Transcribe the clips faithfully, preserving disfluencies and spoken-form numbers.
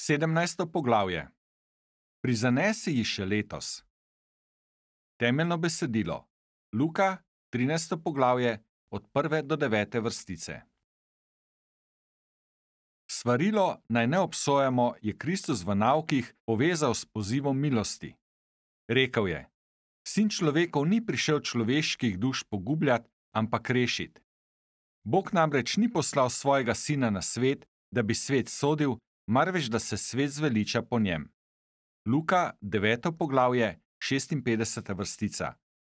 Sedemnajsto poglavje. Prizanesi ji še letos. Temeljno besedilo. Luka, trinajsto poglavje, od prve do devete vrstice. Svarilo naj ne obsojamo je Kristus v naukih povezal s pozivom milosti. Rekel je: Sin človekov ni prišel človeških duš pogubljati, ampak rešiti. Bog namreč ni poslal svojega sina na svet, da bi svet sodil, marveč da se svet zveliča po njem. Luka, deveto poglavje, šestinpetdeseta vrstica.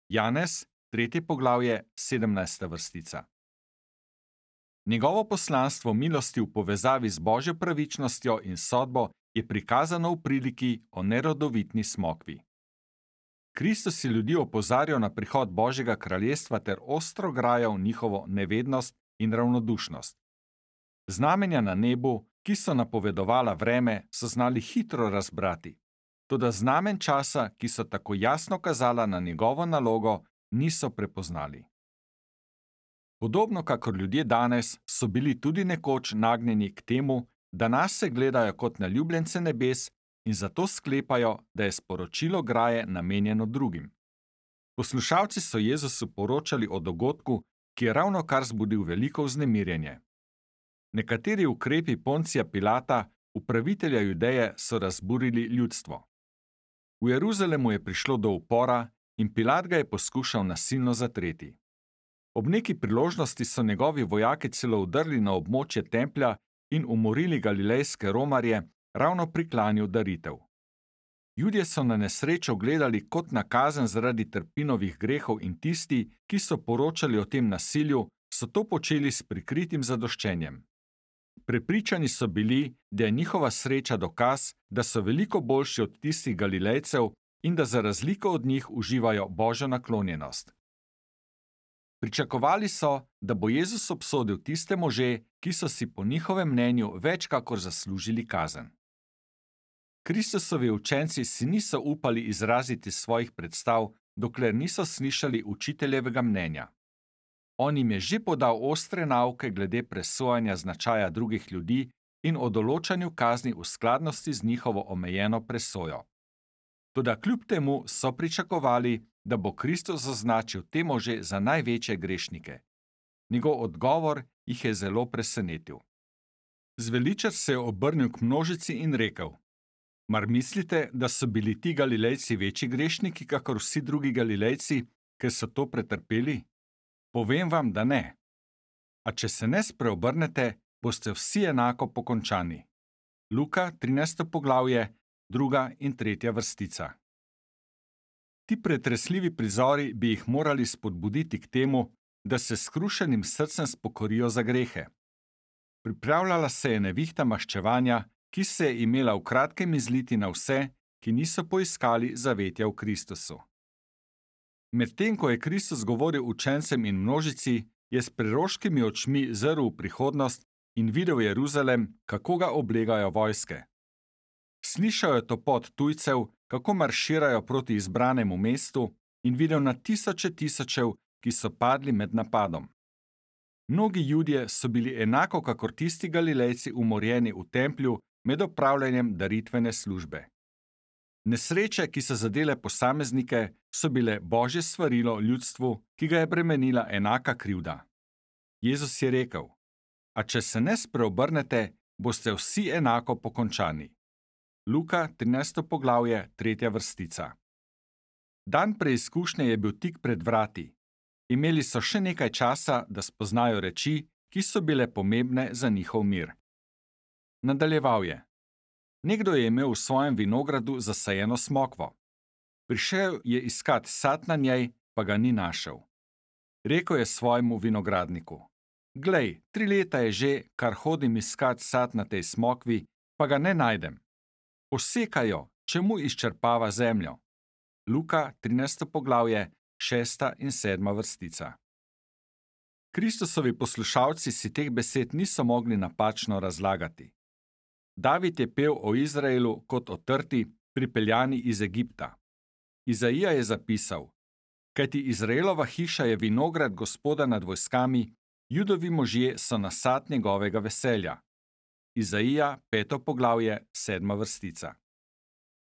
Janez, tretje poglavje, sedemnajsta vrstica. Njegovo poslanstvo milosti v povezavi z božjo pravičnostjo in sodbo je prikazano v priliki o nerodovitni smokvi. Kristus je ljudi opozarjal na prihod Božjega kraljestva ter ostro grajal njihovo nevednost in ravnodušnost. Znamenja na nebu, ki so napovedovala vreme, so znali hitro razbrati, toda znamen časa, ki so tako jasno kazala na njegovo nalogo, niso prepoznali. Podobno kakor ljudje danes, so bili tudi nekoč nagnjeni k temu, da nas se gledajo kot na ljubljence nebes in zato sklepajo, da je sporočilo graje namenjeno drugim. Poslušalci so Jezusu poročali o dogodku, ki je ravnokar zbudil veliko vznemirjenje. Nekateri ukrepi Poncija Pilata, upravitelja Judeje, so razburili ljudstvo. V Jeruzalemu je prišlo do upora in Pilat ga je poskušal nasilno zatreti. Ob neki priložnosti so njegovi vojaki celo vdrli na območje templja in umorili galilejske romarje ravno pri klanju daritev. Judje so na nesrečo gledali kot na kazen zaradi Trpinovih grehov in tisti, ki so poročali o tem nasilju, so to počeli s prikritim zadoščenjem. Prepričani so bili, da je njihova sreča dokaz, da so veliko boljši od tistih Galilejcev in da za razliko od njih uživajo božjo naklonjenost. Pričakovali so, da bo Jezus obsodil tiste može, ki so si po njihovem mnenju več kakor zaslužili kazen. Kristusovi učenci si niso upali izraziti svojih predstav, dokler niso slišali učiteljevega mnenja. On jim je že podal ostre nauke glede presojanja značaja drugih ljudi in o določanju kazni v skladnosti z njihovo omejeno presojo. Toda kljub temu so pričakovali, da bo Kristus označil te može za največje grešnike. Njegov odgovor jih je zelo presenetil. Zveličar se je obrnil k množici in rekel: Mar mislite, da so bili ti Galilejci večji grešniki, kakor vsi drugi Galilejci, ker so to pretrpeli? Povem vam, da ne. A če se ne spreobrnete, boste vsi enako pokončani. Luka, trinajsto poglavje, druga in tretja vrstica. Ti pretresljivi prizori bi jih morali spodbuditi k temu, da se s skrušenim srcem spokorijo za grehe. Pripravljala se je nevihta maščevanja, ki se je imela v kratkem izliti na vse, ki niso poiskali zavetja v Kristusu. Medtem ko je Kristus govoril učencem in množici, je s preroškimi očmi zrl v prihodnost in videl Jeruzalem, kako ga oblegajo vojske. Slišal je topot tujcev, kako marširajo proti izbranemu mestu, in videl na tisoče tisočev, ki so padli med napadom. Mnogi Judje so bili enako kakor tisti Galilejci umorjeni v templju med opravljanjem daritvene službe. Nesreče, ki so zadele posameznike, so bile božje svarilo ljudstvu, ki ga je bremenila enaka krivda. Jezus je rekel: A če se ne spreobrnete, boste vsi enako pokončani. Luka, trinajsto poglavje, tretja vrstica. Dan preizkušnje je bil tik pred vrati. Imeli so še nekaj časa, da spoznajo reči, ki so bile pomembne za njihov mir. Nadaljeval je: Nekdo je imel v svojem vinogradu zasajeno smokvo. Prišel je iskat sad na njej, pa ga ni našel. Rekel je svojemu vinogradniku: Glej, tri leta je že, kar hodim iskat sad na tej smokvi, pa ga ne najdem. Posekaj jo, čemu izčrpava zemljo. Luka, trinajsto poglavje, šesta in sedma vrstica. Kristusovi poslušalci si teh besed niso mogli napačno razlagati. David je pel o Izraelu kot o trti, pripeljani iz Egipta. Izaija je zapisal: Kajti Izraelova hiša je vinograd Gospoda nad vojskami, Judovi možje so nasad njegovega veselja. Izaija, peto poglavje, sedma vrstica.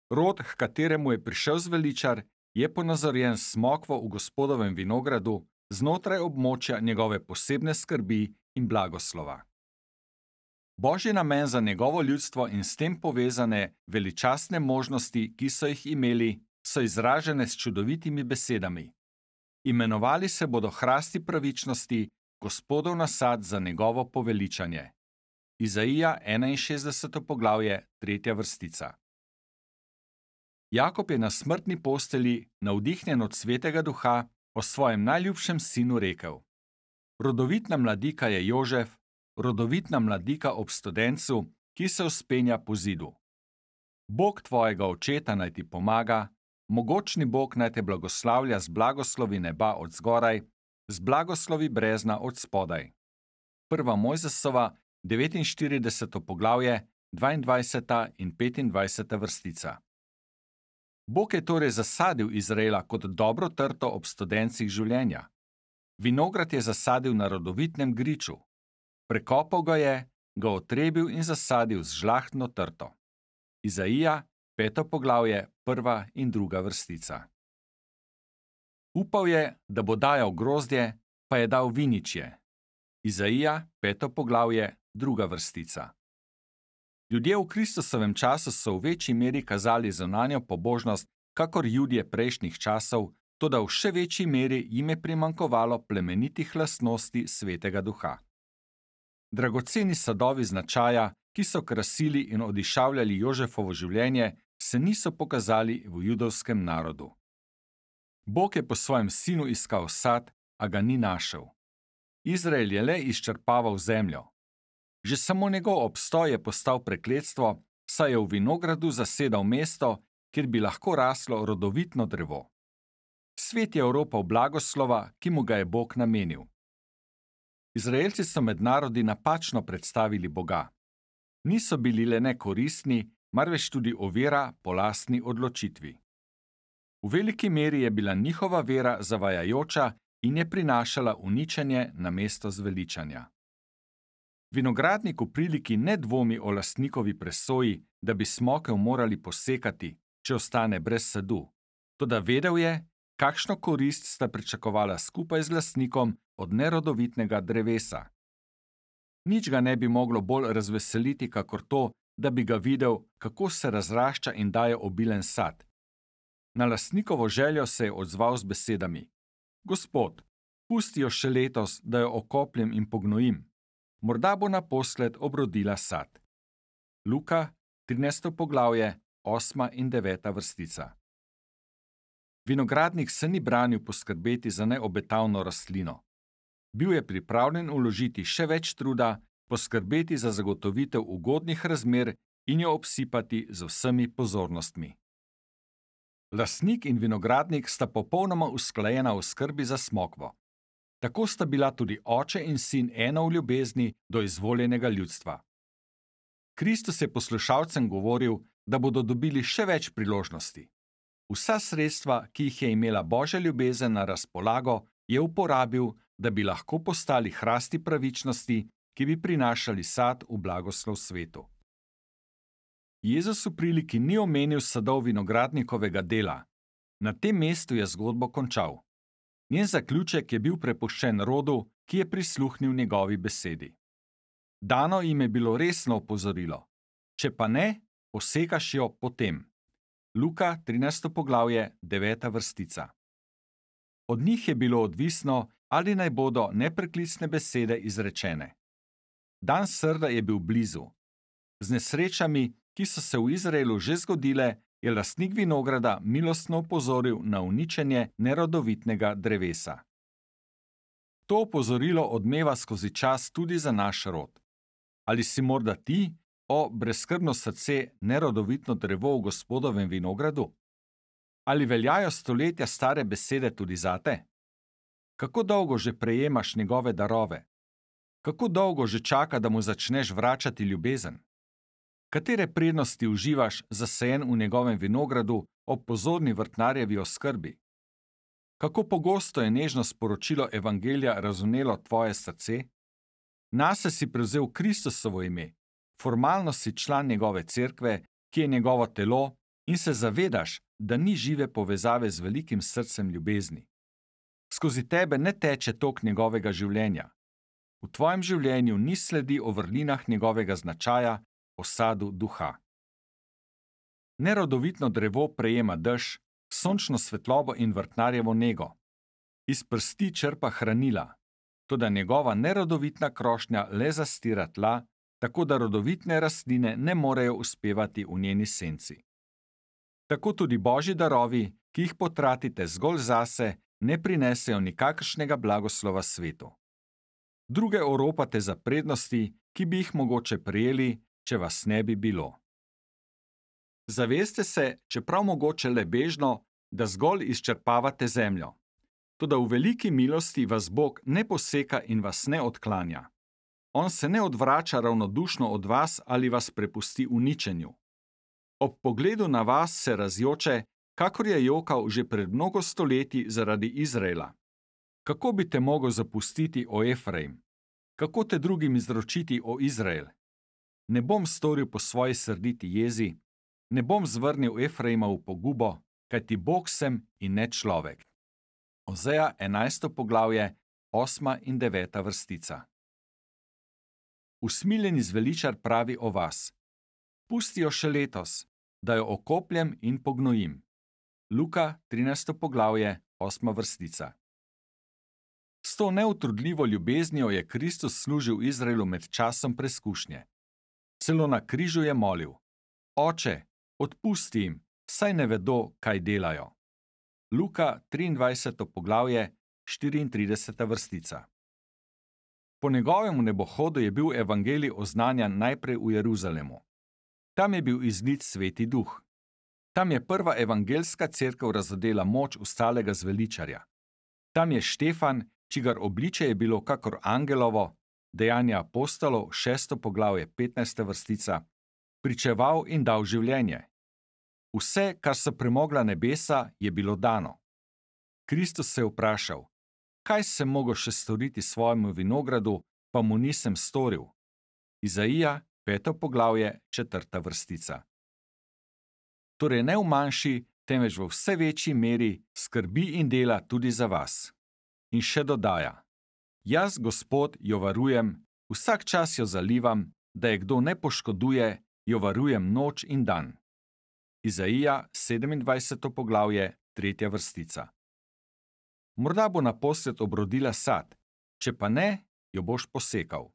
Rod, h kateremu je prišel zveličar, je ponazorjen s smokvo v Gospodovem vinogradu, znotraj območja njegove posebne skrbi in blagoslova. Božji namen za njegovo ljudstvo in s tem povezane veličastne možnosti, ki so jih imeli, so izražene s čudovitimi besedami. Imenovali se bodo hrasti pravičnosti, Gospodov nasad za njegovo poveličanje. Izaija, enainšestdeseto poglavje, tretja vrstica. Jakob je na smrtni postelji, navdihnjen od Svetega Duha, o svojem najljubšem sinu rekel: Rodovitna mladika je Jožef, rodovitna mladika ob studencu, ki se vzpenja po zidu. Bog tvojega očeta naj ti pomaga, mogočni Bog naj te blagoslavlja z blagoslovi neba od zgoraj, z blagoslovi brezna od spodaj. Prva Mojzesova, devetinštirideseto poglavje, dvaindvajseta in petindvajseta vrstica. Bog je torej zasadil Izraela kot dobro trto ob studencih življenja. Vinograd je zasadil na rodovitnem griču. Prekopal ga je, ga otrebil in zasadil z žlahtno trto. Izaija, peto poglavje, prva in druga vrstica. Upal je, da bo dajal grozdje, pa je dal viničje. Izaija, peto poglavje, druga vrstica. Ljudje v Kristusovem času so v večji meri kazali zunanjo pobožnost, kakor Judje prejšnjih časov, toda v še večji meri jim je primanjkovalo plemenitih lastnosti Svetega Duha. Dragoceni sadovi značaja, ki so krasili in odišavljali Jožefovo življenje, se niso pokazali v judovskem narodu. Bog je po svojem sinu iskal sad, a ga ni našel. Izrael je le izčrpaval zemljo. Že samo njegov obstoj je postal prekletstvo, saj je v vinogradu zasedal mesto, kjer bi lahko raslo rodovitno drevo. Svet je oropal blagoslova, ki mu ga je Bog namenil. Izraelci so med narodi napačno predstavili Boga. Niso bili le nekoristni, marveč tudi ovira po lastni odločitvi. V veliki meri je bila njihova vera zavajajoča in je prinašala uničenje namesto zveličanja. Vinogradnik v priliki ne dvomi o lastnikovi presoji, da bi smokel morali posekati, če ostane brez sadu. Toda vedel je, kakšno korist sta pričakovala skupaj z lastnikom od nerodovitnega drevesa. Nič ga ne bi moglo bolj razveseliti, kakor to, da bi ga videl, kako se razrašča in daje obilen sad. Na lastnikovo željo se je odzval z besedami: Gospod, pusti jo še letos, da jo okopljem in pognojim. Morda bo naposled obrodila sad. Luka, trinajsto poglavje, osma in deveta vrstica. Vinogradnik se ni branil poskrbeti za neobetavno rastlino. Bil je pripravljen vložiti še več truda, poskrbeti za zagotovitev ugodnih razmer in jo obsipati z vsemi pozornostmi. Lastnik in vinogradnik sta popolnoma usklajena v skrbi za smokvo. Tako sta bila tudi oče in sin eno v ljubezni do izvoljenega ljudstva. Kristus je poslušalcem govoril, da bodo dobili še več priložnosti. Vsa sredstva, ki jih je imela Božja ljubezen na razpolago, je uporabil, da bi lahko postali hrasti pravičnosti, ki bi prinašali sad v blagoslov svetu. Jezus v priliki ni omenil sadov vinogradnikovega dela. Na tem mestu je zgodbo končal. Njen zaključek je bil prepuščen rodu, ki je prisluhnil njegovi besedi. Dano jim je bilo resno opozorilo. Če pa ne, posekaš jo potem. Luka, trinajsto poglavje, deveta vrstica. Od njih je bilo odvisno, ali naj bodo nepreklicne besede izrečene. Dan srda je bil blizu. Z nesrečami, ki so se v Izraelu že zgodile, je lastnik vinograda milostno opozoril na uničenje nerodovitnega drevesa. To opozorilo odmeva skozi čas tudi za naš rod. Ali si morda ti, o brezskrbno srce, nerodovitno drevo v Gospodovem vinogradu? Ali veljajo stoletja stare besede tudi zate? Kako dolgo že prejemaš njegove darove? Kako dolgo že čaka, da mu začneš vračati ljubezen? Katere prednosti uživaš zasajen v njegovem vinogradu ob pozorni vrtnarjevi oskrbi? Kako pogosto je nežno sporočilo evangelija razvnelo tvoje srce? Nase si prevzel Kristusovo ime, Formalno si član njegove cerkve, ki je njegovo telo, in se zavedaš, da ni žive povezave z velikim srcem ljubezni. Skozi tebe ne teče tok njegovega življenja. V tvojem življenju ni sledi o vrlinah njegovega značaja, o sadu duha. Nerodovitno drevo prejema dež, sončno svetlobo in vrtnarjevo nego. Iz prsti črpa hranila, toda njegova nerodovitna krošnja le zastira tla, tako da rodovitne rastline ne morejo uspevati v njeni senci. Tako tudi božji darovi, ki jih potratite zgolj zase, ne prinesejo nikakršnega blagoslova svetu. Druge oropate za prednosti, ki bi jih mogoče prejeli, če vas ne bi bilo. Zaveste se, čeprav mogoče le bežno, da zgolj izčrpavate zemljo. Toda v veliki milosti vas Bog ne poseka in vas ne odklanja. On se ne odvrača ravnodušno od vas ali vas prepusti uničenju. Ob pogledu na vas se razjoče, kakor je jokal že pred mnogo stoletji zaradi Izraela. Kako bi te mogel zapustiti, o Efraim? Kako te drugim izročiti, o Izrael? Ne bom storil po svoji srditi jezi, ne bom zvrnil Efraima v pogubo, kajti Bog sem in ne človek. Ozeja enajsto poglavje, osma in deveta vrstica. Usmiljeni zveličar pravi o vas: pusti jo še letos, da jo okopljem in pognojim. Luka trinajsto poglavje, osma vrstica. S to neutrudljivo ljubeznijo je Kristus služil Izraelu med časom preskušnje. Celo na križu je molil: Oče, odpusti jim, saj ne vedo, kaj delajo. Luka triindvajseto poglavje, štiriintrideseta vrstica. Po njegovem nebohodu je bil evangelij oznanjan najprej v Jeruzalemu. Tam je bil izlit Sveti Duh. Tam je prva evangelska cerkev razodela moč ustalega zveličarja. Tam je Štefan, čigar obliče je bilo kakor angelovo, Dejanja apostolov, šesto poglavje, petnajsta vrstica, pričeval in dal življenje. Vse, kar so premogla nebesa, je bilo dano. Kristus se je vprašal: kaj sem mogel še storiti svojemu vinogradu, pa mu nisem storil? Izaija, peto poglavje, četrta vrstica. Torej ne v manjši, temveč v vse večji meri skrbi in dela tudi za vas. In še dodaja: jaz, Gospod, jo varujem, vsak čas jo zalivam, da je kdo ne poškoduje, jo varujem noč in dan. Izaija, sedemindvajseto poglavje, tretja vrstica. Morda bo naposled obrodila sad, če pa ne, jo boš posekal.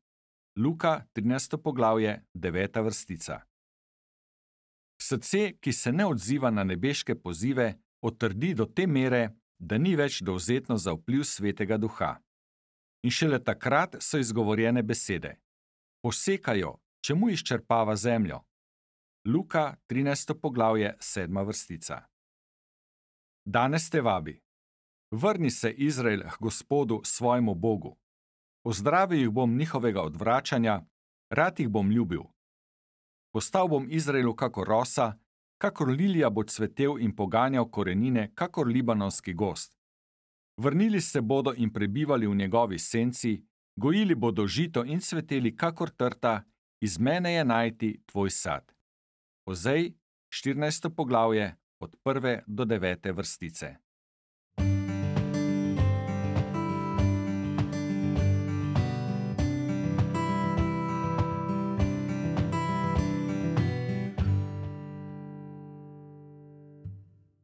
Luka, trinajsto poglavje, deveta vrstica. Srce, ki se ne odziva na nebeške pozive, otrdi do te mere, da ni več dovzetno za vpliv Svetega Duha. In šele takrat so izgovorjene besede: posekajo, čemu izčrpava zemljo? Luka, trinajsto poglavje, sedma vrstica. Danes te vabi: vrni se, Izrael, k Gospodu, svojemu Bogu. Pozdravil jih bom njihovega odvračanja, rad jih bom ljubil. Postal bom Izraelu kakor rosa, kakor lilija bo cvetel in poganjal korenine, kakor libanonski gozd. Vrnili se bodo in prebivali v njegovi senci, gojili bodo žito in cveteli kakor trta, iz mene je najti tvoj sad. Ozej, štirinajsto poglavje, od prve do devete vrstice.